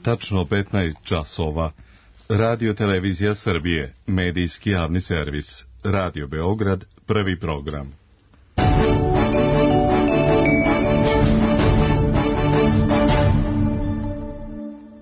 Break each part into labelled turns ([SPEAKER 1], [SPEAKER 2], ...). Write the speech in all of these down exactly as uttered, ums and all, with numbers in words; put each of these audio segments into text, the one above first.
[SPEAKER 1] Tačno petnaest časova. Radio Televizija Srbije, medijski javni servis. Radio Beograd, prvi program.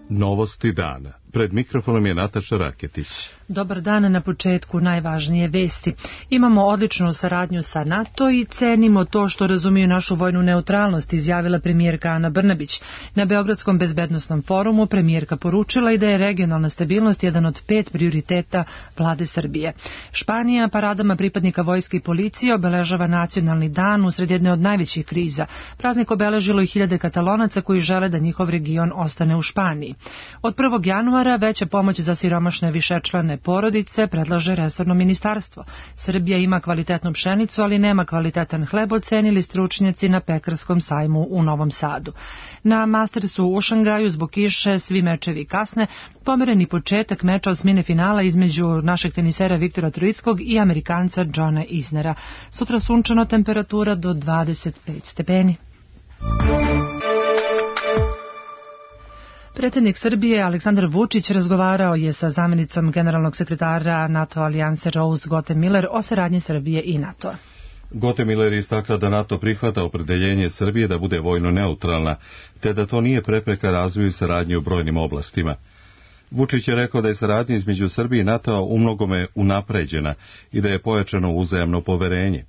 [SPEAKER 1] Novosti dana. Pred mikrofonom je Nataša Raketić.
[SPEAKER 2] Dobar dan, na početku najvažnije vesti. Imamo odličnu saradnju sa NATO i cenimo to što razumiju našu vojnu neutralnost, izjavila premijerka Ana Brnabić. Na Beogradskom bezbednosnom forumu premijerka poručila i da je regionalna stabilnost jedan od pet prioriteta vlade Srbije. Španija paradama pripadnika vojske i policije obeležava nacionalni dan usred jedne od najvećih kriza. Praznik obeležilo i hiljade Katalonaca koji žele da njihov region ostane u Španiji. Od prvog januara veća pomoć za siromašne višečlane porodice predlaže resorno ministarstvo. Srbija ima kvalitetnu pšenicu, ali nema kvalitetan hleb, ocenili stručnjaci na pekarskom sajmu u Novom Sadu. Na Mastersu u Šangaju zbog kiše svi mečevi kasne, pomereni početak meča osmine finala između našeg tenisera Viktora Troickog i Amerikanca Johna Isnera. Sutra sunčano, temperatura do dvadeset pet stepeni. Predsjednik Srbije Aleksandar Vučić razgovarao je sa zamjenicom generalnog sekretara NATO alijanse Rose Gothe-Miller o saradnji Srbije i NATO-a.
[SPEAKER 1] Gothe-Miller istakla da NATO prihvata opredeljenje Srbije da bude vojno neutralna, te da to nije prepreka razvoju saradnje u brojnim oblastima. Vučić je rekao da je saradnja između Srbije i NATO-a umnogome unapređena i da je pojačano uzajamno poverenje.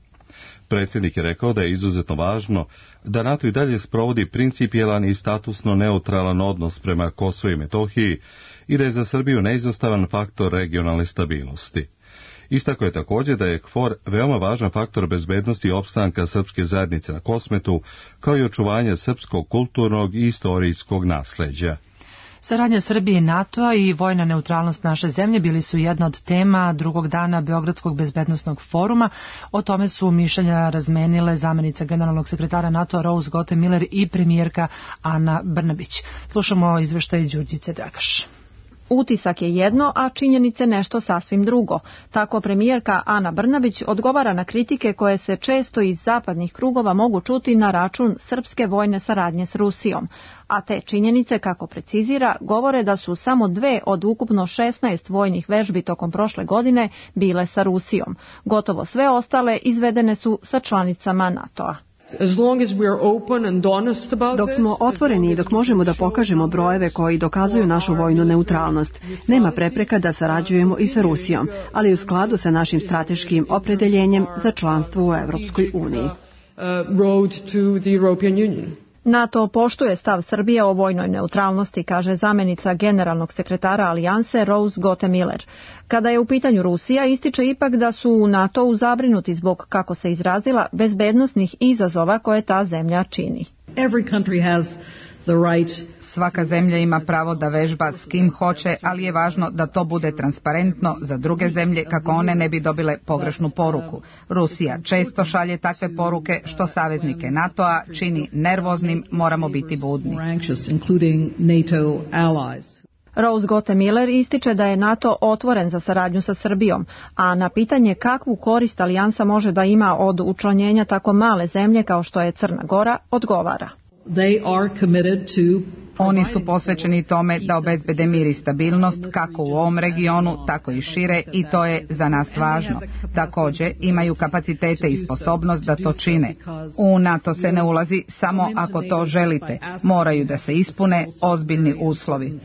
[SPEAKER 1] Predsjednik je rekao da je izuzetno važno da NATO i dalje sprovodi principijelan i statusno neutralan odnos prema Kosovu i Metohiji i da je za Srbiju neizostavan faktor regionalne stabilnosti. Istako je također da je KFOR veoma važan faktor bezbednosti i opstanka srpske zajednice na Kosmetu, kao i očuvanja srpskog kulturnog i istorijskog nasleđa.
[SPEAKER 2] Saradnja Srbije i NATO-a i vojna neutralnost naše zemlje bili su jedna od tema drugog dana Beogradskog bezbednosnog foruma. O tome su mišljenja razmenile zamjenica generalnog sekretara NATO-a Rose Gothe-Miller i premijerka Ana Brnabić. Slušamo izveštaj Đurđice Dragaš.
[SPEAKER 3] Utisak je jedno, a činjenice nešto sasvim drugo. Tako premijerka Ana Brnabić odgovara na kritike koje se često iz zapadnih krugova mogu čuti na račun srpske vojne saradnje s Rusijom. A te činjenice, kako precizira, govore da su samo dve od ukupno šesnaest vojnih vežbi tokom prošle godine bile sa Rusijom. Gotovo sve ostale izvedene su sa članicama NATO-a.
[SPEAKER 4] Dok smo otvoreni i dok možemo da pokažemo brojeve koji dokazuju našu vojnu neutralnost, nema prepreka da sarađujemo i sa Rusijom, ali u skladu sa našim strateškim opredeljenjem za članstvo u Evropskoj uniji.
[SPEAKER 3] NATO poštuje stav Srbije o vojnoj neutralnosti, kaže zamjenica generalnog sekretara alijanse Rose Gothe-Miller. Kada je u pitanju Rusija, ističe ipak da su u NATO-u zabrinuti zbog, kako se izrazila, bezbednosnih izazova koje ta zemlja čini.
[SPEAKER 5] Svaka zemlja ima pravo da vežba s kim hoće, ali je važno da to bude transparentno za druge zemlje kako one ne bi dobile pogrešnu poruku. Rusija često šalje takve poruke što saveznike NATO-a čini nervoznim, moramo biti budni.
[SPEAKER 3] Rose Gothe-Miller ističe da je NATO otvoren za saradnju sa Srbijom, a na pitanje kakvu korist alijansa može da ima od učlanjenja tako male zemlje kao što je Crna Gora, odgovara.
[SPEAKER 5] Oni su posvećeni tome da obezbede mir i stabilnost kako u ovom regionu, tako i šire, i to je za nas važno. Također imaju kapacitete i sposobnost da to čine. U NATO se ne ulazi samo ako to želite. Moraju da se ispune ozbiljni uslovi.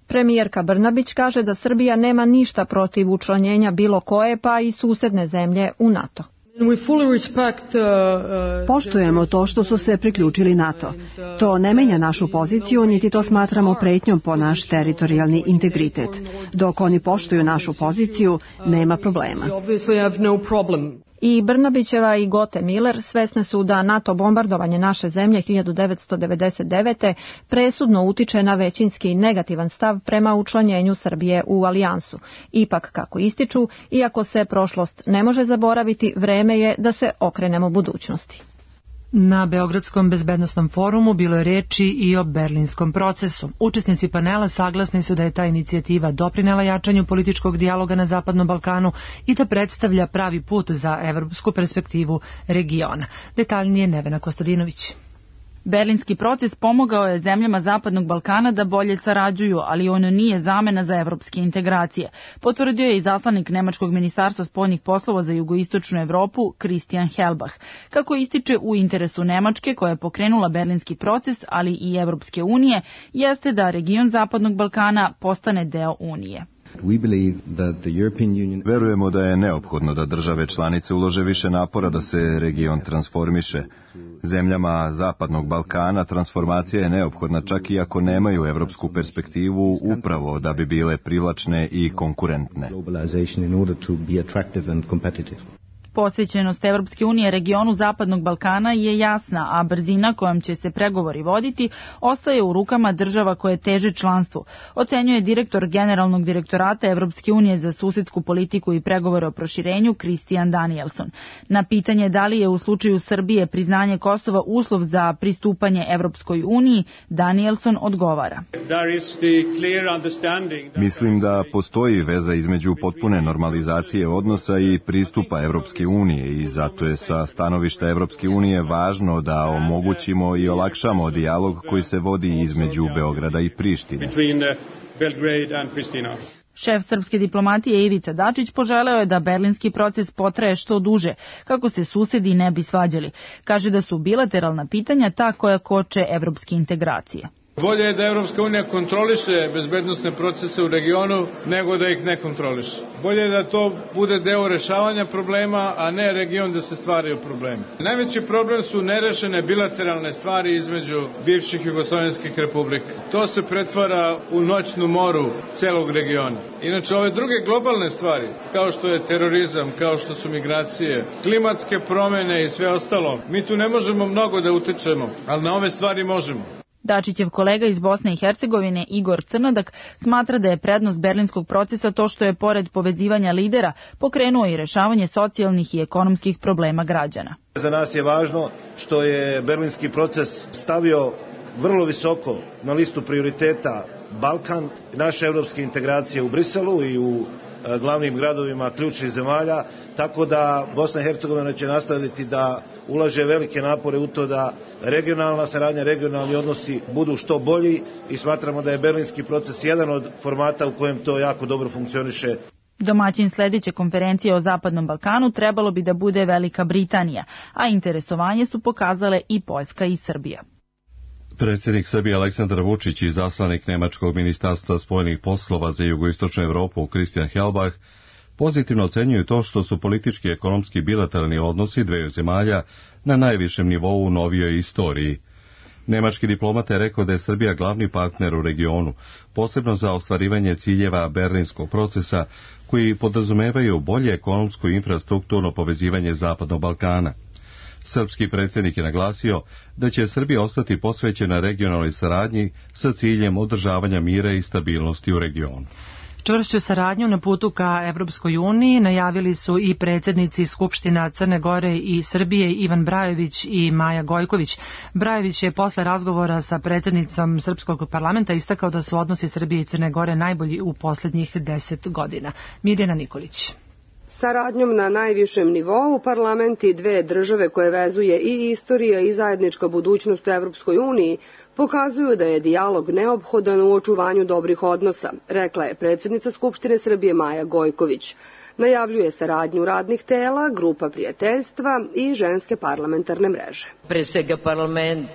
[SPEAKER 3] Premijerka Brnabić kaže da Srbija nema ništa protiv učlanjenja bilo koje, pa i susedne zemlje u NATO.
[SPEAKER 4] Poštujemo to što su se priključili NATO. To ne menja našu poziciju, niti to smatramo pretnjom po naš teritorijalni integritet. Dok oni poštuju našu poziciju, nema problema.
[SPEAKER 3] I Brnabićeva i Gothe-Miller svesne su da NATO bombardovanje naše zemlje hiljadu devetsto devedeset devete presudno utiče na većinski negativan stav prema učlanjenju Srbije u alijansu. Ipak, kako ističu, iako se prošlost ne može zaboraviti, vreme je da se okrenemo budućnosti.
[SPEAKER 2] Na Beogradskom bezbednosnom forumu bilo je reči i o berlinskom procesu. Učesnici panela saglasni su da je ta inicijativa doprinela jačanju političkog dijaloga na Zapadnom Balkanu i da predstavlja pravi put za evropsku perspektivu regiona. Detaljnije Nevena Kostadinović.
[SPEAKER 6] Berlinski proces pomogao je zemljama Zapadnog Balkana da bolje sarađuju, ali on nije zamena za evropske integracije, potvrdio je izaslanik Nemačkog ministarstva spoljnih poslova za jugoistočnu Evropu Christian Helbach. Kako ističe, u interesu Nemačke, koja je pokrenula Berlinski proces, ali i Evropske unije, jeste da region Zapadnog Balkana postane deo Unije.
[SPEAKER 7] Verujemo da je neophodno da države članice ulože više napora da se region transformiše. Zemljama Zapadnog Balkana transformacija je neophodna čak i ako nemaju evropsku perspektivu, upravo da bi bile privlačne i konkurentne.
[SPEAKER 6] Posvećenost Evropske unije regionu Zapadnog Balkana je jasna, a brzina kojom će se pregovori voditi ostaje u rukama država koje teže članstvu, ocenjuje direktor Generalnog direktorata Evropske unije za susedsku politiku i pregovore o proširenju Christian Danielson. Na pitanje da li je u slučaju Srbije priznanje Kosova uslov za pristupanje Evropskoj uniji, Danielson odgovara.
[SPEAKER 7] Mislim da postoji veza između potpune normalizacije odnosa i pristupa Evropske unije i zato je sa stanovišta Evropske unije važno da omogućimo i olakšamo dijalog koji se vodi između Beograda i Prištine.
[SPEAKER 6] Šef srpske diplomatije Ivica Dačić poželeo je da berlinski proces potraje što duže, kako se susedi ne bi svađali. Kaže da su bilateralna pitanja ta koja koče evropske integracije.
[SPEAKER 8] Bolje je da Evropska unija kontroliše bezbednosne procese u regionu nego da ih ne kontroliše. Bolje je da to bude deo rešavanja problema, a ne region da se stvaraju problemi. Najveći problem su nerešene bilateralne stvari između bivših jugoslovenskih republika. To se pretvara u noćnu moru celog regiona. Inače, ove druge globalne stvari, kao što je terorizam, kao što su migracije, klimatske promene i sve ostalo, mi tu ne možemo mnogo da utičemo, ali na ove stvari možemo.
[SPEAKER 6] Dačićev kolega iz Bosne i Hercegovine Igor Crnodak smatra da je prednost berlinskog procesa to što je pored povezivanja lidera pokrenuo i rešavanje socijalnih i ekonomskih problema građana.
[SPEAKER 9] Za nas je važno što je berlinski proces stavio vrlo visoko na listu prioriteta Balkan, naše evropske integracije u Briselu i u glavnim gradovima ključnih zemalja, tako da Bosna i Hercegovina će nastaviti da ulaže velike napore u to da regionalna saradnja, regionalni odnosi budu što bolji i smatramo da je berlinski proces jedan od formata u kojem to jako dobro funkcioniše.
[SPEAKER 6] Domaćin sledeće konferencije o Zapadnom Balkanu trebalo bi da bude Velika Britanija, a interesovanje su pokazale i Poljska i Srbija.
[SPEAKER 1] Predsjednik Srbije Aleksandar Vučić i izaslanik Nemačkog ministarstva spoljnih poslova za jugoistočnu Evropu Christian Helbach pozitivno ocenjuju to što su politički i ekonomski bilateralni odnosi dveju zemalja na najvišem nivou u novijoj istoriji. Nemački diplomata je rekao da je Srbija glavni partner u regionu, posebno za ostvarivanje ciljeva berlinskog procesa koji podrazumevaju bolje ekonomsko i infrastrukturno povezivanje Zapadnog Balkana. Srpski predsjednik je naglasio da će Srbija ostati posvećena regionalnoj saradnji sa ciljem održavanja mira i stabilnosti u regionu.
[SPEAKER 2] Čvršću saradnju na putu ka Evropskoj uniji najavili su i predsjednici Skupština Crne Gore i Srbije Ivan Brajović i Maja Gojković. Brajović je posle razgovora sa predsjednicom Srpskog parlamenta istakao da su odnosi Srbije i Crne Gore najbolji u posljednjih deset godina. Mirjana Nikolić.
[SPEAKER 10] Saradnjom na najvišem nivou parlamenti dve države koje vezuje i istorija i zajednička budućnost u Evropskoj uniji pokazuju da je dijalog neophodan u očuvanju dobrih odnosa, rekla je predsjednica Skupštine Srbije Maja Gojković. Najavljuje saradnju radnih tela, grupa prijateljstva i ženske parlamentarne mreže.
[SPEAKER 11] Pre svega parlament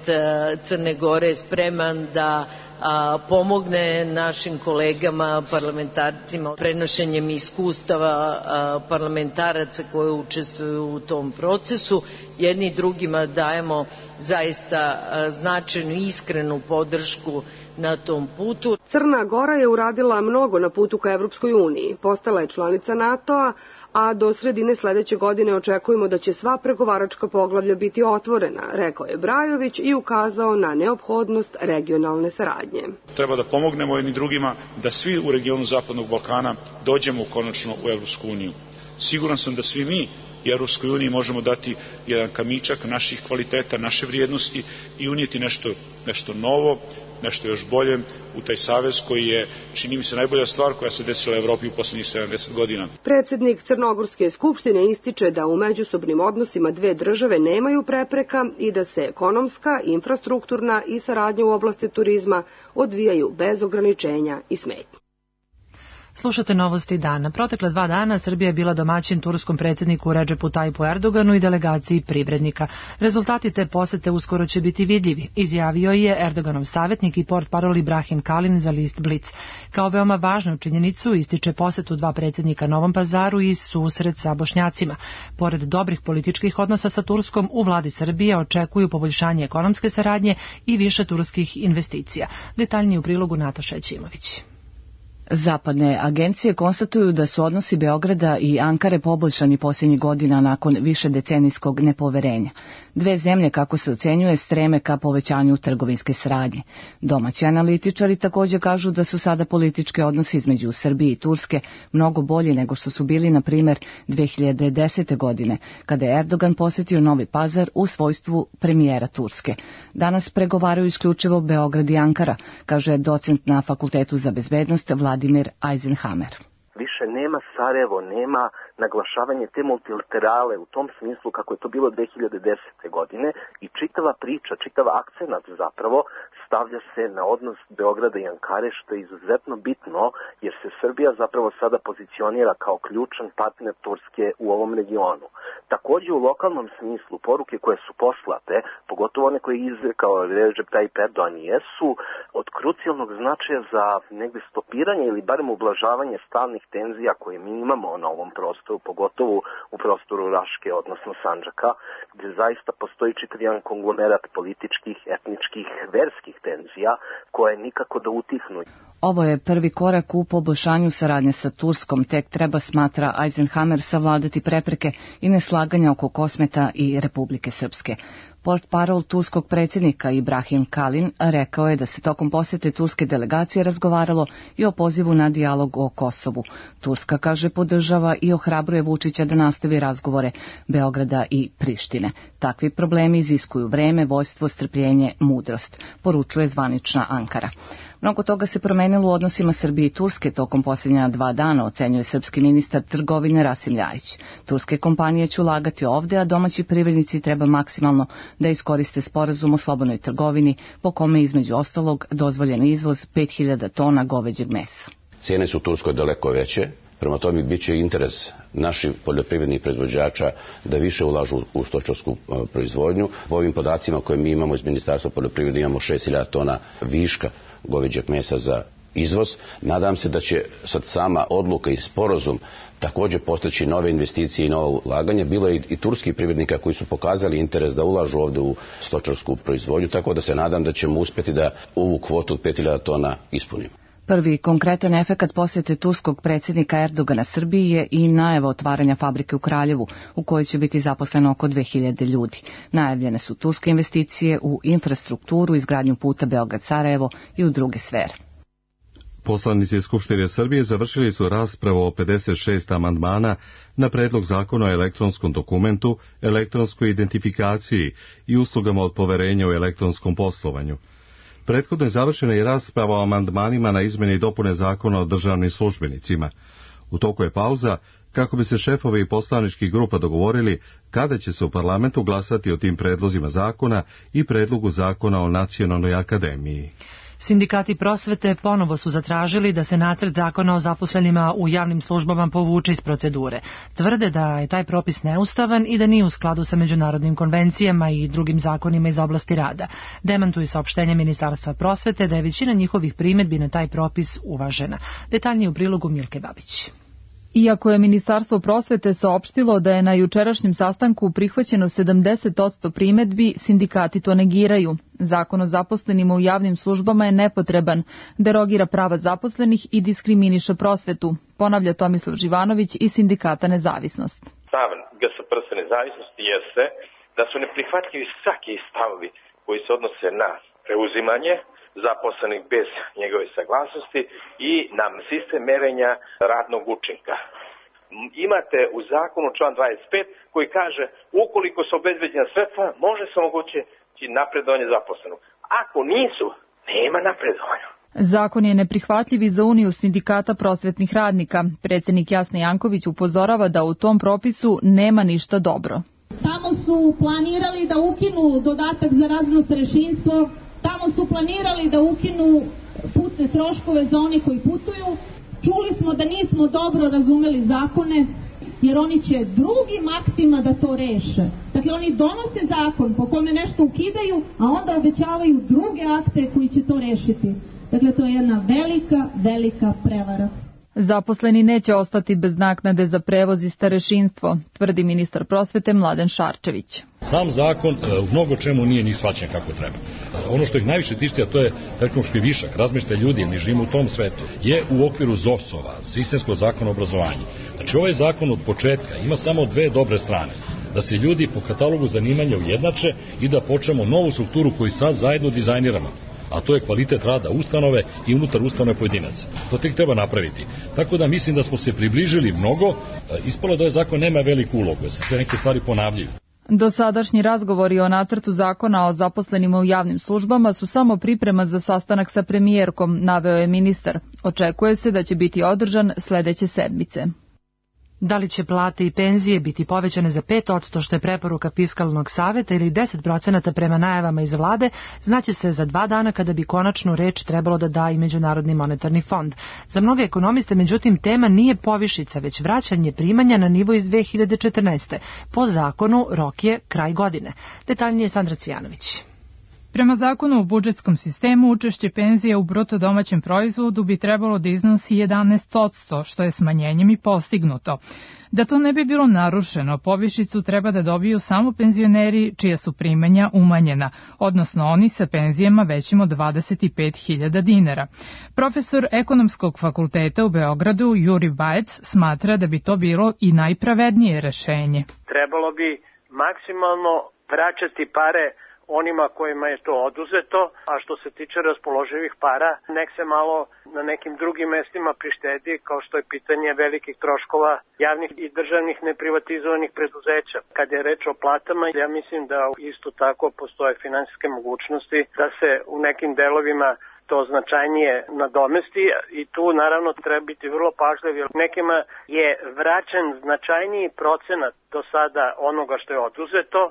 [SPEAKER 11] Crne Gore je spreman da a, pomogne našim kolegama, parlamentarcima, prenošenjem iskustava a, parlamentaraca koji učestvuju u tom procesu. Jedni i drugima dajemo zaista a, značajnu i iskrenu podršku na tom putu.
[SPEAKER 10] Crna Gora je uradila mnogo na putu ka Evropskoj uniji. Postala je članica NATO-a, a do sredine sledeće godine očekujemo da će sva pregovaračka poglavlja biti otvorena, rekao je Brajović i ukazao na neophodnost regionalne saradnje.
[SPEAKER 12] Treba da pomognemo jedni drugima da svi u regionu Zapadnog Balkana dođemo konačno u Evropsku uniju. Siguran sam da svi mi i Europskoj uniji možemo dati jedan kamičak naših kvaliteta, naše vrijednosti i unijeti nešto, nešto novo, nešto još bolje u taj savez koji je, čini mi se, najbolja stvar koja se desila u Evropi u poslednjih sedamdeset godina.
[SPEAKER 10] Predsjednik Crnogorske skupštine ističe da u međusobnim odnosima dve države nemaju prepreka i da se ekonomska, infrastrukturna i saradnja u oblasti turizma odvijaju bez ograničenja i smetnji.
[SPEAKER 2] Slušate novosti dana. Protekle dva dana Srbija je bila domaćin turskom predsjedniku Redžepu Tajipu Erdoganu i delegaciji privrednika. Rezultati te posete uskoro će biti vidljivi, izjavio je Erdoganov savjetnik i portparol Ibrahim Kalin za list Blic. Kao veoma važnu činjenicu ističe posetu dva predsjednika Novom Pazaru i susret sa Bošnjacima. Pored dobrih političkih odnosa sa Turskom, u vladi Srbije očekuju poboljšanje ekonomske saradnje i više turskih investicija. Detaljnije u prilogu Nataša Ćimović.
[SPEAKER 13] Zapadne agencije konstatuju da su odnosi Beograda i Ankare poboljšani posljednjih godina nakon višedecenijskog nepoverenja. Dve zemlje, kako se ocenjuje, streme ka povećanju trgovinske saradnje. Domaći analitičari također kažu da su sada politički odnosi između Srbije i Turske mnogo bolji nego što su bili, na primjer, dve hiljade desete. godine, kada je Erdogan posjetio Novi Pazar u svojstvu premijera Turske. Danas pregovaraju isključivo Beograd i Ankara, kaže docent na Fakultetu za bezbednost Vladimir Eisenhammer.
[SPEAKER 14] Više nema Sarajevo, nema naglašavanje te multilaterale u tom smislu kako je to bilo dve hiljade desete. godine i čitava priča, čitav akcenat zapravo stavlja se na odnos Beograda i Ankare, što je izuzetno bitno jer se Srbija zapravo sada pozicionira kao ključan partner Turske u ovom regionu. Također u lokalnom smislu poruke koje su poslate, pogotovo one koje je izrekao Recep Tayyip Erdogan, jesu od krucijalnog značaja za negde stopiranje ili barem ublažavanje stalnih tenzija koje mi imamo na ovom prostoru, pogotovo u prostoru Raške, odnosno Sandžaka, gdje zaista postoji čitav jedan konglomerat političkih, etničkih, verskih tenzija koje nikako da utihnu.
[SPEAKER 13] Ovo je prvi korak u poboljšanju saradnje sa Turskom, tek treba, smatra Eisenhammer, savladati prepreke i neslaganja oko Kosmeta i Republike Srpske. Portparol turskog predsjednika Ibrahim Kalin rekao je da se tokom posjete turske delegacije razgovaralo i o pozivu na dijalog o Kosovu. Turska, kaže, podržava i ohrabruje Vučića da nastavi razgovore Beograda i Prištine. Takvi problemi iziskuju vreme, vojstvo, strpljenje, mudrost, poručuje zvanična Ankara. Mnogo toga se promenilo u odnosima Srbije i Turske tokom posljednja dva dana, ocenjuje srpski ministar trgovine Rasim Ljajić. Turske kompanije će ulagati ovde, a domaći privrednici treba maksimalno da iskoriste sporazum o slobodnoj trgovini, po kome između ostalog dozvoljen izvoz pet hiljada tona goveđeg mesa.
[SPEAKER 15] Cijene su u Turskoj daleko veće, prema tome bit će interes naših poljoprivrednih proizvođača da više ulažu u stočarsku proizvodnju. Po ovim podacima koje mi imamo iz Ministarstva poljoprivrede imamo šest hiljada tona viška goveđeg mesa za izvoz. Nadam se da će sad sama odluka i sporazum također postići nove investicije i nova ulaganja. Bilo je i turskih privrednika koji su pokazali interes da ulažu ovdje u stočarsku proizvodnju, tako da se nadam da ćemo uspjeti da ovu kvotu od pet hiljada tona ispunimo.
[SPEAKER 13] Prvi konkretan efekat posjete turskog predsjednika Erdogana Srbiji je i najava otvaranja fabrike u Kraljevu, u kojoj će biti zaposleno oko dve hiljade ljudi. Najavljene su turske investicije u infrastrukturu, izgradnju puta Beograd-Sarajevo i u druge sfere.
[SPEAKER 1] Poslanici Skupštine Srbije završili su raspravu o pedeset šest amandmana na predlog zakona o elektronskom dokumentu, elektronskoj identifikaciji i uslugama od poverenja u elektronskom poslovanju. Prethodno je završena i rasprava o amandmanima na izmjene i dopune zakona o državnim službenicima. U toku je pauza kako bi se šefovi poslaničkih grupa dogovorili kada će se u parlamentu glasati o tim predlozima zakona i predlogu zakona o Nacionalnoj akademiji.
[SPEAKER 2] Sindikati prosvete ponovo su zatražili da se nacrt zakona o zaposlenima u javnim službama povuče iz procedure. Tvrde da je taj propis neustavan i da nije u skladu sa međunarodnim konvencijama i drugim zakonima iz oblasti rada. Demantuju saopštenje Ministarstva prosvete da je većina njihovih primjedbi na taj propis uvažena. Detaljnije u prilogu Milke Babić.
[SPEAKER 16] Iako je Ministarstvo prosvete saopštilo da je na jučerašnjem sastanku prihvaćeno sedamdeset posto primedbi, sindikati to negiraju. Zakon o zaposlenima u javnim službama je nepotreban, derogira prava zaposlenih i diskriminiše prosvetu, ponavlja Tomislav Živanović iz sindikata Nezavisnost.
[SPEAKER 17] Stav G S P R S Nezavisnosti jeste da su neprihvatljivi svaki stavovi koji se odnose na preuzimanje zaposlenih bez njegove saglasnosti i na sistem merenja radnog učinka. Imate u zakonu član dvadeset pet koji kaže ukoliko su obezbeđena sredstva može se omogućiti napredovanje zaposlenog. Ako nisu, nema napredovanja.
[SPEAKER 16] Zakon je neprihvatljiv i za Uniju sindikata prosvetnih radnika. Predsjednik Jasna Janković upozorava da u tom propisu nema ništa dobro.
[SPEAKER 18] Tamo su planirali da ukinu dodatak za razno starešinstvo, tamo su planirali da ukinu putne troškove za one koji putuju. Čuli smo da nismo dobro razumeli zakone, jer oni će drugim aktima da to reše. Dakle, oni donose zakon po kome nešto ukidaju, a onda obećavaju druge akte koji će to rešiti. Dakle, to je jedna velika, velika prevara.
[SPEAKER 16] Zaposleni neće ostati bez naknade za prevoz i starešinstvo, tvrdi ministar prosvete Mladen Šarčević.
[SPEAKER 19] Sam zakon u mnogo čemu nije ni shvaćen kako treba. Ono što ih najviše tišti, a to je tehnološki višak, razmeštaj ljudi, jer mi živimo u tom svetu, je u okviru Z O S-ova, sistemskog zakona o obrazovanju. Znači, ovaj zakon od početka ima samo dve dobre strane. Da se ljudi po katalogu zanimanja ujednače i da počnemo novu strukturu koju sad zajedno dizajniramo. A to je kvalitet rada ustanove i unutar ustanove pojedinaca. To tek treba napraviti. Tako da mislim da smo se približili mnogo, ispalo da ovaj zakon nema veliku ulogu, jer se sve neke stvari ponavljaju.
[SPEAKER 16] Dosadašnji razgovori o nacrtu zakona o zaposlenima u javnim službama su samo priprema za sastanak sa premijerkom, naveo je ministar. Očekuje se da će biti održan sledeće sedmice.
[SPEAKER 2] Da li će plate i penzije biti povećane za pet posto što je preporuka Fiskalnog saveta ili deset procenata prema najavama iz vlade, znaće se za dva dana kada bi konačnu reč trebalo da da i Međunarodni monetarni fond. Za mnoge ekonomiste, međutim, tema nije povišica, već vraćanje primanja na nivo iz dve hiljade četrnaeste. Po zakonu rok je kraj godine. Detaljnije Sandra Cvijanović.
[SPEAKER 20] Prema zakonu o budžetskom sistemu, učešće penzije u bruto domaćem proizvodu bi trebalo da iznosi jedanaest posto, što je smanjenjem i postignuto. Da to ne bi bilo narušeno, povišicu treba da dobiju samo penzioneri čija su primanja umanjena, odnosno oni sa penzijama većim od dvadeset pet hiljada dinara. Profesor Ekonomskog fakulteta u Beogradu, Juri Bajec, smatra da bi to bilo i najpravednije rešenje.
[SPEAKER 21] Trebalo bi maksimalno vraćati pare onima kojima je to oduzeto, a što se tiče raspoloživih para, nek se malo na nekim drugim mestima prištedi, kao što je pitanje velikih troškova javnih i državnih neprivatizovanih preduzeća. Kad je reč o platama, ja mislim da isto tako postoje finansijske mogućnosti da se u nekim delovima to značajnije nadomesti i tu naravno treba biti vrlo pažljiv, jer nekima je vraćen značajniji procenat do sada onoga što je oduzeto.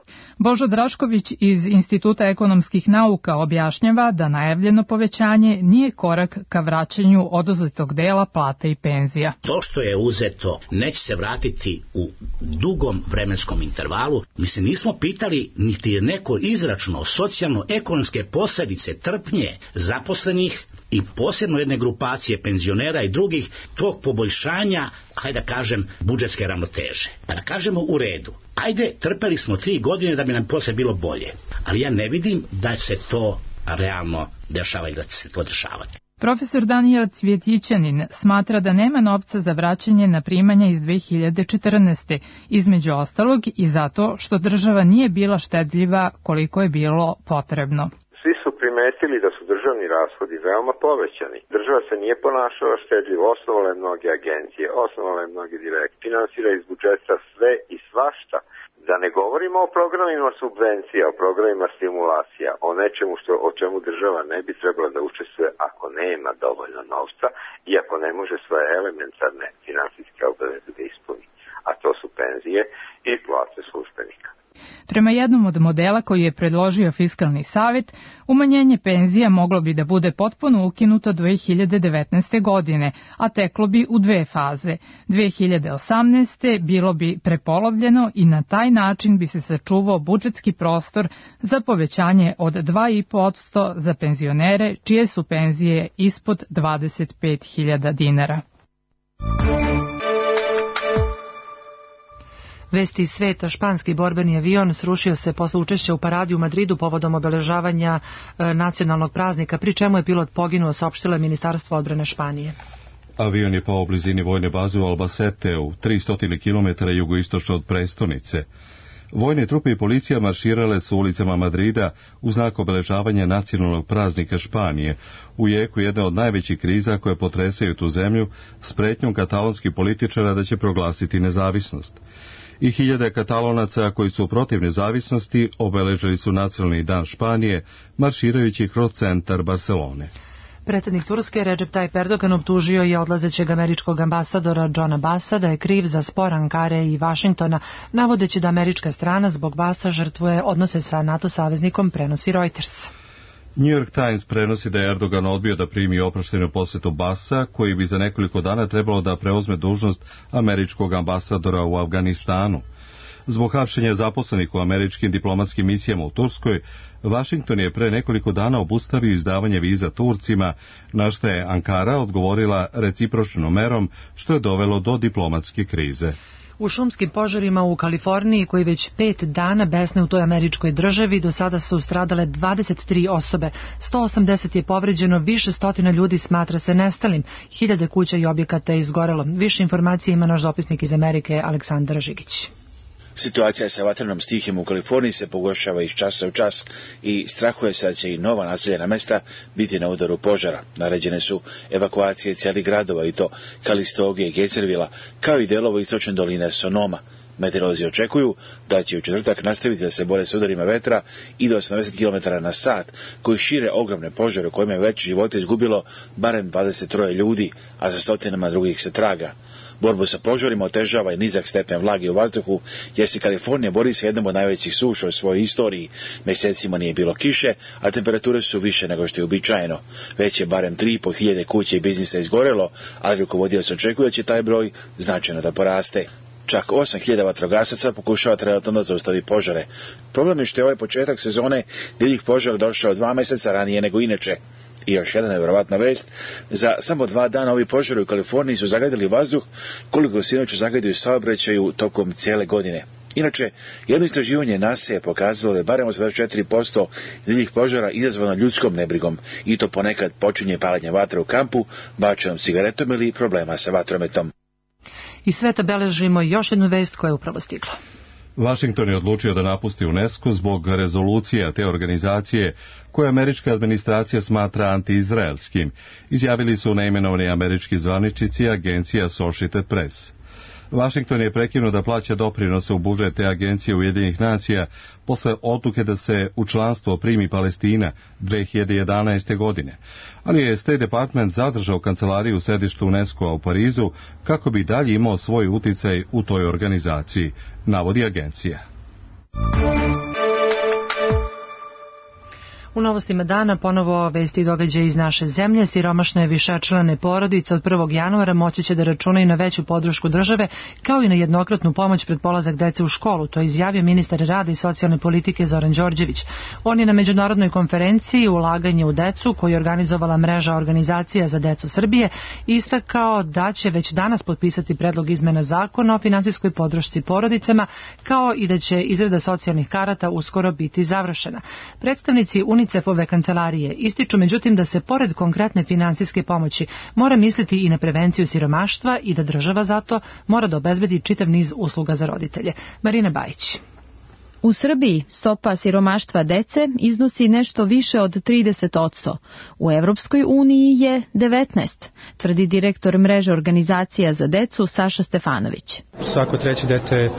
[SPEAKER 20] Božo Drašković iz Instituta ekonomskih nauka objašnjava da najavljeno povećanje nije korak ka vraćanju oduzetog dela plata i penzija.
[SPEAKER 22] To što je uzeto neće se vratiti u dugom vremenskom intervalu. Mi se nismo pitali niti je neko izračunao socijalno-ekonomske posljedice trpnje zaposlenih i posebno jedne grupacije penzionera i drugih tog poboljšanja, hajde da kažem, budžetske ravnoteže. Pa da kažemo u redu, ajde, trpeli smo tri godine da bi nam posle bilo bolje, ali ja ne vidim da se to realno dešava i da će se to dešavati.
[SPEAKER 20] Profesor Danijel Cvjetićanin smatra da nema novca za vraćanje na primanja iz dve hiljade četrnaeste, između ostalog i zato što država nije bila štedljiva koliko je bilo potrebno.
[SPEAKER 23] Svi su primetili da su državni rashodi veoma povećani. Država se nije ponašala štedljivo, osnovala je mnoge agencije, osnovala je mnoge direkt, finansira iz budžeta sve i svašta. Da ne govorimo o programima subvencija, o programima stimulacija, o nečemu što, o čemu država ne bi trebala da učestvuje ako nema dovoljno novca i ako ne može svoje elementarne finansijske obaveze da ispuni. A to su penzije i plate službenika.
[SPEAKER 20] Prema jednom od modela koji je predložio Fiskalni savet, umanjenje penzija moglo bi da bude potpuno ukinuto dve hiljade devetnaeste. godine, a teklo bi u dve faze. dve hiljade osamnaeste. bilo bi prepolovljeno i na taj način bi se sačuvao budžetski prostor za povećanje od dva i po posto za penzionere čije su penzije ispod dvadeset pet hiljada dinara.
[SPEAKER 2] Vesti iz sveta, španski borbeni avion srušio se posle učešća u paradi u Madridu povodom obeležavanja e, nacionalnog praznika, pri čemu je pilot poginuo, saopštilo je Ministarstvo odbrane Španije.
[SPEAKER 1] Avion je pao u blizini vojne baze u Albaceteu, tristo kilometara jugoistočno od prestonice. Vojne trupe i policija marširale su ulicama Madrida u znak obeležavanja nacionalnog praznika Španije, u jeku jedne od najvećih kriza koje potresaju tu zemlju, s pretnjom katalonskih političara da će proglasiti nezavisnost. I hiljade Katalonaca koji su protiv nezavisnosti obeležili su nacionalni dan Španije, marširajući kroz centar Barcelone.
[SPEAKER 2] Predsjednik Turske Recep Tayyip Erdogan optužio je odlazećeg američkog ambasadora Johna Bassa da je kriv za spor Ankare i Vašingtona, navodeći da američka strana zbog Bassa žrtvuje odnose sa NATO saveznikom, prenosi Reuters.
[SPEAKER 1] New York Times prenosi da je Erdogan odbio da primi oproštenu posjetu Bassa, koji bi za nekoliko dana trebalo da preuzme dužnost američkog ambasadora u Afganistanu. Zbog hapšenja zaposlenih u američkim diplomatskim misijama u Turskoj, Vašington je pre nekoliko dana obustavio izdavanje viza Turcima, na što je Ankara odgovorila recipročnom merom, što je dovelo do diplomatske krize.
[SPEAKER 2] U šumskim požarima u Kaliforniji, koji već pet dana besne u toj američkoj državi, do sada su stradale dvadeset tri osobe, sto osamdeset je povređeno, više stotina ljudi smatra se nestalim, hiljade kuća i objekata je izgorelo. Više informacije ima naš dopisnik iz Amerike, Aleksandar Žigić.
[SPEAKER 3] Situacija sa vatrenom stihijom u Kaliforniji se pogoršava iz časa u čas i strahuje se da će i nova naseljena mesta biti na udaru požara. Naređene su evakuacije cijelih gradova, i to Kalistoge i Gejzervila, kao i delova istočne doline Sonoma. Meteorolozi očekuju da će u četvrtak nastaviti da se bore s udarima vetra i do osamdeset kilometara na sat, koji šire ogromne požare u kojima je već živote izgubilo barem dvadeset tri ljudi, a za stotinama drugih se traga. Borbu sa požarima otežava i nizak stepen vlage u vazduhu, jer se Kalifornija bori sa jednom od najvećih suša u svojoj istoriji. Mesecima nije bilo kiše, a temperature su više nego što je uobičajeno. Već je barem tri i po hiljade kuća i biznisa izgorelo, ali rukovodioc očekuje da će taj broj značajno da poraste. Čak osam hiljada vatrogasaca pokušava trenutno da zaustavi požare. Problem je što je ovaj početak sezone divljih požara došao dva mjeseca ranije nego inače. I još jedna nevjerovatna vest, za samo dva dana ovi požari u Kaliforniji su zagadili vazduh koliko sinoć zagadili saobraćaju tokom cijele godine. Inače, jedno istraživanje NASA je pokazalo da je barem osamdeset četiri posto divljih požara izazvano ljudskom nebrigom, i to ponekad počinje paljenje vatre u kampu, bačenom cigaretom ili problema sa vatrometom.
[SPEAKER 2] I sveta beležimo još jednu vest koja je upravo stigla.
[SPEAKER 1] Vašington je odlučio da napusti UNESCO zbog rezolucija te organizacije koje američka administracija smatra antiizraelskim, izjavili su neimenovani američki zvaničnici agencija Associated Press. Vašington je prekinuo da plaća doprinose u budžet te agencije Ujedinjenih nacija posle odluke da se u članstvo primi Palestina dve hiljade jedanaeste. godine, ali je State Department zadržao kancelariju u sedištu UNESCO-a u Parizu kako bi dalje imao svoj uticaj u toj organizaciji, navodi agencija.
[SPEAKER 2] U novostima dana ponovo vesti i događaje iz naše zemlje. Siromašne višečlane porodice od prvog januara moći će da računaju na veću podršku države, kao i na jednokratnu pomoć pred polazak dece u školu. To je izjavio ministar rada i socijalne politike Zoran Đorđević. On je na međunarodnoj konferenciji Ulaganje u decu, koju je organizovala mreža organizacija za decu Srbije, istakao da će već danas potpisati predlog izmena zakona o finansijskoj podršci porodicama, kao i da će izrada socijalnih karata uskoro biti završena. Predstavnici UNICEF-ove kancelarije ističu međutim da se pored konkretne finansijske pomoći mora misliti i na prevenciju siromaštva i da država zato mora da obezbedi čitav niz usluga za roditelje. Marina Bajić.
[SPEAKER 4] U Srbiji stopa siromaštva dece iznosi nešto više od trideset posto. U Evropskoj uniji je devetnaest, tvrdi direktor mreže organizacija za decu Saša Stefanović.
[SPEAKER 5] Svako treće dete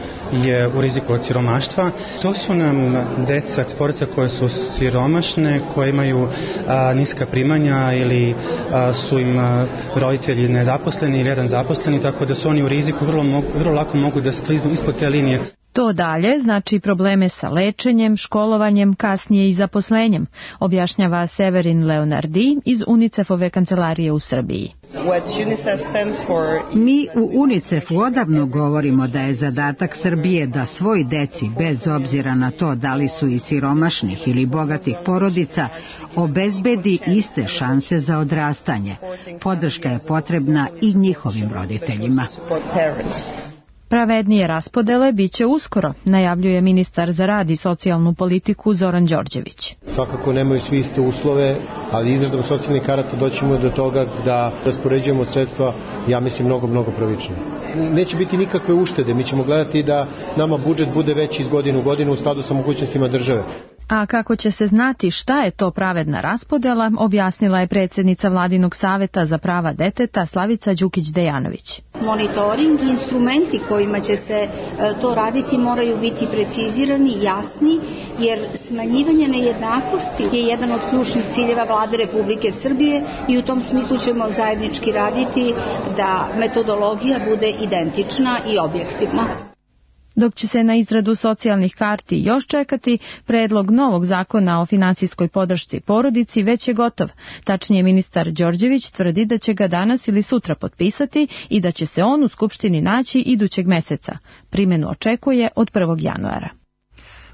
[SPEAKER 5] je u riziku od siromaštva. To su nam deca, porodice koje su siromašne, koje imaju a, niska primanja ili a, su im a, roditelji nezaposleni ili jedan zaposleni, tako da su oni u riziku, vrlo, mogu, vrlo lako mogu da skliznu ispod te linije.
[SPEAKER 4] To dalje znači probleme sa lečenjem, školovanjem, kasnije i zaposlenjem, objašnjava Severin Leonardi iz UNICEF-ove kancelarije u Srbiji.
[SPEAKER 24] Mi u UNICEF-u odavno govorimo da je zadatak Srbije da svoj deci, bez obzira na to da li su iz siromašnih ili bogatih porodica, obezbedi iste šanse za odrastanje. Podrška je potrebna i njihovim roditeljima.
[SPEAKER 4] Pravednije raspodele biće uskoro, najavljuje ministar za rad i socijalnu politiku Zoran Đorđević.
[SPEAKER 6] Svakako nemaju svi iste uslove, ali izradom socijalnih karata doćemo do toga da raspoređujemo sredstva, ja mislim, mnogo, mnogo pravičnije. Neće biti nikakve uštede, mi ćemo gledati da nama budžet bude veći iz godine u godinu u skladu sa mogućnostima države.
[SPEAKER 4] A kako će se znati šta je to pravedna raspodela, objasnila je predsjednica Vladinog saveta za prava deteta Slavica Đukić-Dejanović.
[SPEAKER 7] Monitoring i instrumenti kojima će se to raditi moraju biti precizirani, jasni, jer smanjivanje nejednakosti je jedan od ključnih ciljeva Vlade Republike Srbije i u tom smislu ćemo zajednički raditi da metodologija bude identična i objektivna.
[SPEAKER 4] Dok će se na izradu socijalnih karti još čekati, predlog novog zakona o finansijskoj podršci porodici već je gotov. Tačnije, ministar Đorđević tvrdi da će ga danas ili sutra potpisati i da će se on u Skupštini naći idućeg meseca. Primjenu očekuje od prvog januara.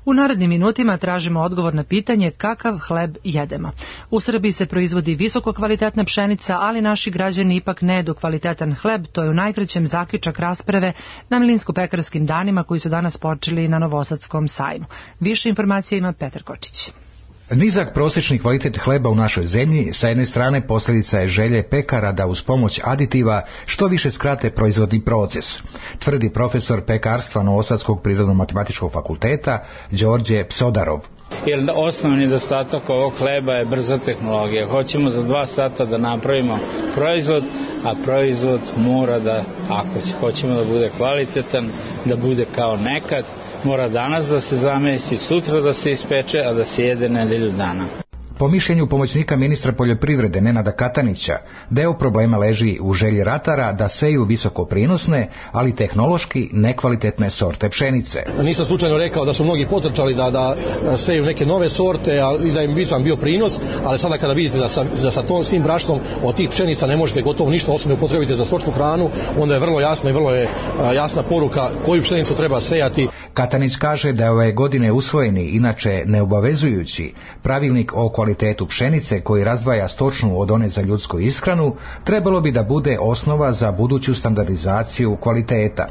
[SPEAKER 2] U narednim minutima tražimo odgovor na pitanje kakav hleb jedemo. U Srbiji se proizvodi visoko kvalitetna pšenica, ali naši građani ipak ne jedu kvalitetan hleb. To je u najkraćem zaključak rasprave na Milinsko-pekarskim danima koji su danas počeli na Novosadskom sajmu. Više informacija ima Petar Kočić.
[SPEAKER 8] Nizak prosječni kvalitet hleba u našoj zemlji sa jedne strane posljedica je želje pekara da uz pomoć aditiva što više skrate proizvodni proces, tvrdi profesor pekarstva Novosadskog prirodno-matematičkog fakulteta Đorđe Psodarov.
[SPEAKER 9] Jer osnovni nedostatak ovog hleba je brza tehnologija. Hoćemo za dva sata da napravimo proizvod, a proizvod mora da, ako hoćemo da bude kvalitetan, da bude kao nekad, mora danas da se zamesi, sutra da se ispeče, a da se jede nedelju dana.
[SPEAKER 8] Po mišljenju pomoćnika ministra poljoprivrede Nenada Katanića, deo problema leži u želji ratara da seju visoko prinosne, ali tehnološki nekvalitetne sorte pšenice.
[SPEAKER 25] Nisam slučajno rekao da su mnogi potrčali da, da seju neke nove sorte i da im bitan bio prinos, ali sada kada vidite da sa, da sa tom svim brašnom od tih pšenica ne možete gotovo ništa osim da upotrebite za stočnu hranu, onda je vrlo jasno i vrlo je jasna poruka koju pšenicu treba sejati.
[SPEAKER 8] Katanić kaže da je ove godine usvojeni, inače neobavezujući, pravilnik o kvalitetu pšenice koji razdvaja stočnu od one za ljudsku ishranu, trebalo bi da bude osnova za buduću standardizaciju kvaliteta.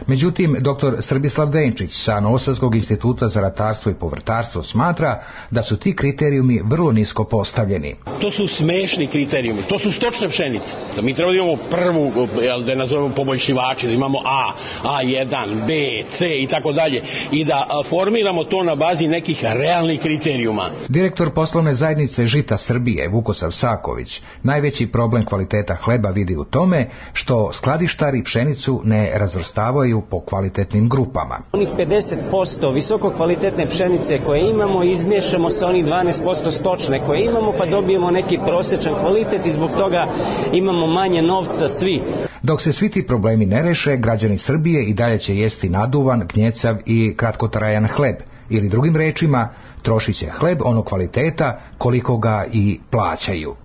[SPEAKER 8] Međutim, doktor Srbislav Denčić sa Novosadskog instituta za ratarstvo i povrtarstvo smatra da su ti kriterijumi vrlo nisko postavljeni.
[SPEAKER 26] To su smešni kriterijumi, to su stočne pšenice. Da mi treba da imamo prvu, da je nazovemo poboljšivači, da imamo A, A jedan, B, C i tako dalje i da formiramo to na bazi nekih realnih kriterijuma.
[SPEAKER 8] Direktor poslovne zajednice Žita Srbije Vukosav Saković najveći problem kvaliteta hleba vidi u tome što skladištari pšenicu ne razvrstavaju po kvalitetnim grupama.
[SPEAKER 27] Onih pedeset posto visoko kvalitetne pšenice koje imamo izmiješamo sa onih dvanaest posto stočne koje imamo pa dobijemo neki prosječan kvalitet i zbog toga imamo manje novca svi.
[SPEAKER 8] Dok se svi ti problemi ne reše, građani Srbije i dalje će jesti naduvan, gnjecav i kratkotrajan hleb. Ili drugim rečima, trošit će hleb onog kvaliteta koliko ga i plaćaju.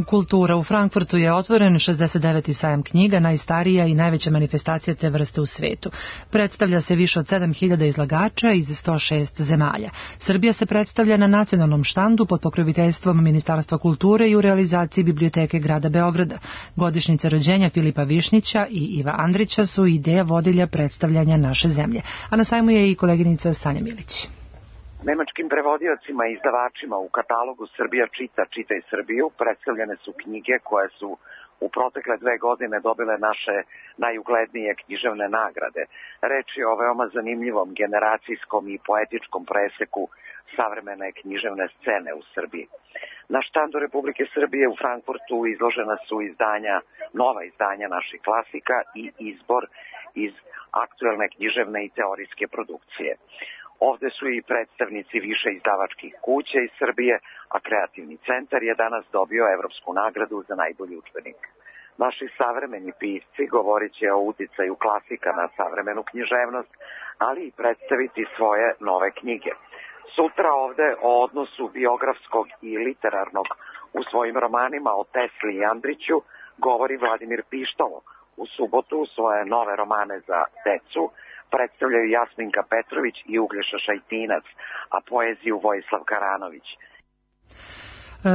[SPEAKER 2] Kultura. U Frankfurtu je otvoren šezdeset deveti sajam knjiga, najstarija i najveća manifestacija te vrste u svetu. Predstavlja se više od sedam hiljada izlagača iz sto šest zemalja. Srbija se predstavlja na nacionalnom štandu pod pokroviteljstvom Ministarstva kulture i u realizaciji Biblioteke grada Beograda. Godišnjice rođenja Filipa Višnjića i Iva Andrića su ideja vodilja predstavljanja naše zemlje. A na sajmu je i koleginica Sanja Milić.
[SPEAKER 28] Nemačkim prevodiocima i izdavačima u katalogu Srbija čita, čitaj Srbiju predstavljene su knjige koje su u protekle dve godine dobile naše najuglednije književne nagrade. Reč je o veoma zanimljivom generacijskom i poetičkom preseku savremene književne scene u Srbiji. Na štandu Republike Srbije u Frankfurtu izložena su izdanja, nova izdanja naših klasika i izbor iz aktuelne književne i teorijske produkcije. Ovde su i predstavnici više izdavačkih kuća iz Srbije, a Kreativni centar je danas dobio evropsku nagradu za najbolji udžbenik. Naši savremeni pisci govorit će o uticaju klasika na savremenu književnost, ali i predstaviti svoje nove knjige. Sutra ovde o odnosu biografskog i literarnog u svojim romanima o Tesli i Andriću govori Vladimir Pištalo. U subotu svoje nove romane za decu predstavljaju Jasminka Petrović i Uglješa Šajtinac, a poeziju Vojislav Karanović.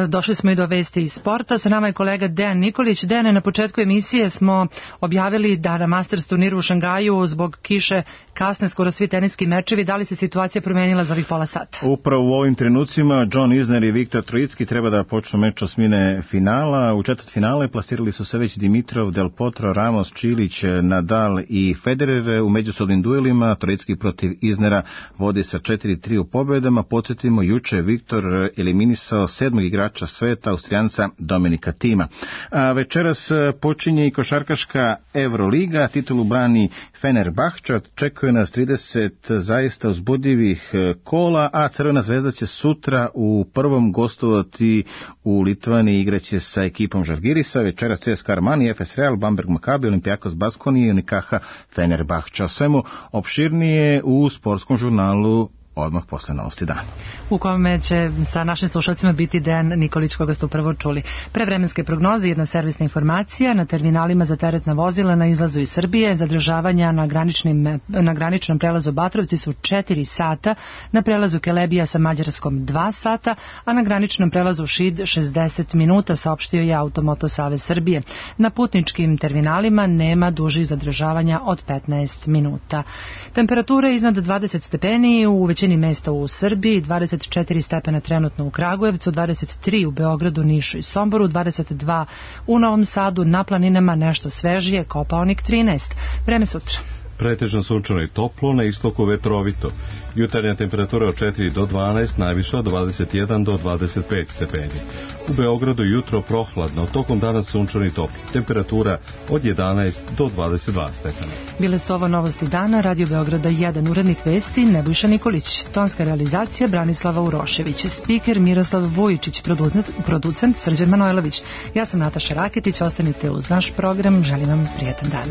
[SPEAKER 2] Došli smo i do vesti iz sporta. Sa nama je kolega Dejan Nikolić. Dejane, na početku emisije smo objavili da na Masters turniru u Šangaju zbog kiše kasne skoro svi teniski mečevi. Da li se situacija promenila za ovih pola sata?
[SPEAKER 10] Upravo u ovim trenucima John Isner i Viktor Trojicki treba da počnu meč osmine finala. U četvrt finale plasirali su se već Dimitrov, Del Potro, Ramos, Čilić, Nadal i Federer. U međusobnim duelima Trojicki protiv Isnera vodi sa četiri tri u pobedama. Podsjetimo, juče Viktor eliminisao sedmog igrača sveta, Austrijanca Dominika Tima. A večeras počinje i košarkaška Euroliga, titulu brani Fenerbahče, očekuje nas trideset zaista uzbudljivih kola, a Crvena zvezda će sutra u prvom gostovati u Litvaniji, igraće sa ekipom Žalgirisa, večeras C S K A Armani, F S Real, Bamberg Makabi, Olimpijakos Baskonije i Unikaha Fenerbahče. O svemu opširnije u sportskom žurnalu odmah posle novosti dana.
[SPEAKER 2] U kome će sa našim slušalcima biti Dejan Nikolić, koga ste upravo čuli. Pre vremenske prognoze, jedna servisna informacija: na terminalima za teretna vozila na izlazu iz Srbije zadržavanja na, graničnim, na graničnom prelazu Batrovci su četiri sata, na prelazu Kelebija sa Mađarskom dva sata, a na graničnom prelazu Šid šezdeset minuta, saopštio je Automoto Savez Srbije. Na putničkim terminalima nema dužih zadržavanja od petnaest minuta. Temperatura iznad dvadeset stepeni u većini mesta u Srbiji, dvadeset četiri stepena trenutno u Kragujevcu, dvadeset tri u Beogradu, Nišu i Somboru, dvadeset dva u Novom Sadu, na planinama nešto svežije, Kopaonik trinaest. Vreme sutra.
[SPEAKER 1] Pretežno sunčano i toplo, na istoku vetrovito. Jutarnja temperatura od četiri do dvanaest, najviša od dvadeset jedan do dvadeset pet stepeni. U Beogradu jutro prohladno, tokom dana sunčano i toplo. Temperatura od jedanaest do dvadeset dva stepena.
[SPEAKER 2] Bile su ovo novosti dana, Radio Beograda jedan, urednik vesti Nebojša Nikolić, tonska realizacija Branislava Urošević, spiker Miroslav Vujičić, producent, producent Srđan Manojlović. Ja sam Nataša Raketić, ostanite uz naš program, želim vam prijetan dan.